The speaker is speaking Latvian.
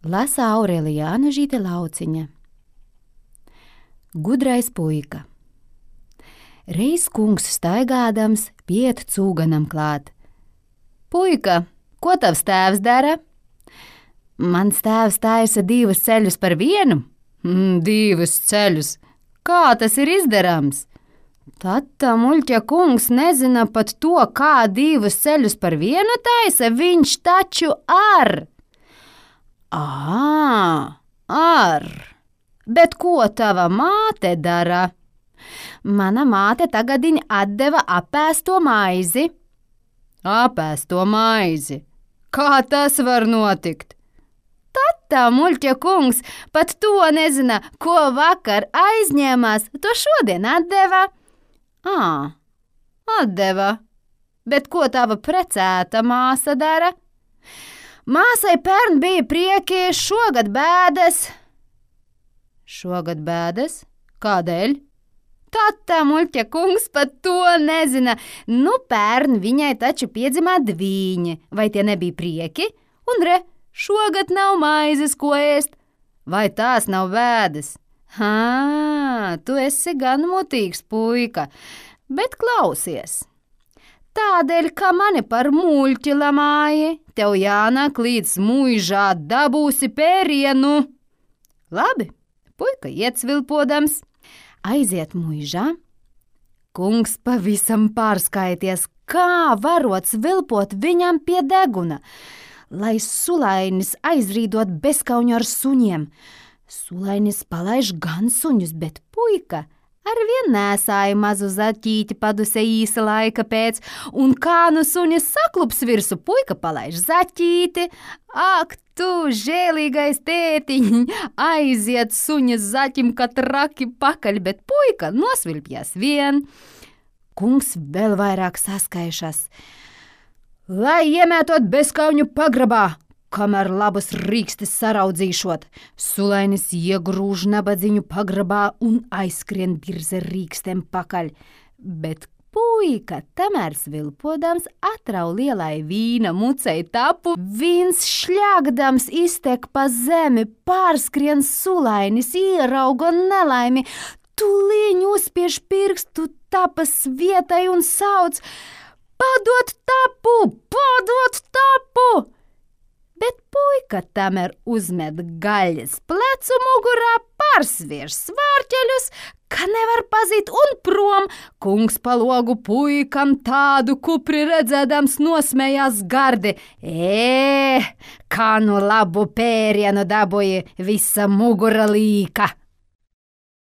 Lasa Aurelija Anažīte Lauciņa. Gudrais puika. Reiz kungs staigādams piet cūganam klāt. Puika, ko tavs tēvs dara? Mans tēvs taisa 2 ceļus par vienu. 2 ceļus. Kā tas ir izdarāms? Tad muļķa kungs nezina pat to, kā 2 ceļus par vienu taisa, viņš taču ar. Ar. Bet ko tava māte dara? Mana māte tagadiņ atdeva apēsto maizi. Apēsto maizi? Kā tas var notikt? Tad muļķa kungs pat to nezina, ko vakar aizņēmās, to šodien atdeva. Atdeva. Bet ko tava precēta māsa dara? Māsai pērn bija prieki, šogad bēdas. Šogad bēdas? Kādēļ? Tad muļķa kungs pat to nezina. Pērn viņai taču piedzimā 2, vai tie nebija prieki? Un šogad nav maizes, ko ēst. Vai tās nav bēdas? Tu esi gan mutīgs puika, bet klausies. Tādēļ, ka mani par muļķi lamāji, tev jānāk līdz muižā, dabūsi pērienu. Labi, puika iet svilpodams, aiziet muižā. Kungs pavisam pārskaities, kā varot svilpot viņam pie deguna, lai sulainis aizrīdot bezkauņu ar suņiem. Sulainis palaiž gan suņus, bet puika arvien nēsāja mazu zaķīti paduse īsa laika pēc, un kā suņa saklups virsu, puika palaiž zaķīti. Ak, tu žēlīgais tētiņ, aiziet suņa zaķim katraki pakaļ, bet puika nosvilpjas vien. Kungs vēl vairāk saskaišas. Lai iemētot bezkauņu pagrabā, kamēr labus rīkstes saraudzīšot, sulainis iegrūž nabadzīņu pagrabā un aizskrien birze rīkstiem pakaļ. Bet puika, tamēr svilpodams, atrau lielai vīna mucei tapu, vīns šļāgdams iztek pa zemi, pārskrien sulainis, ierauga nelaimi, tūlīņ uzspiež pirkstu tapas vietai un sauc: Padod tapu! Padod tapu! Bet puika tamēr uzmet gaļas plecu mugurā, pārsvierš svārķeļus, ka nevar pazīt un prom. Kungs pa logu puikam tādu kupri redzēdams nosmējās gardi. Kā labu pērienu dabūja, visa mugura līka.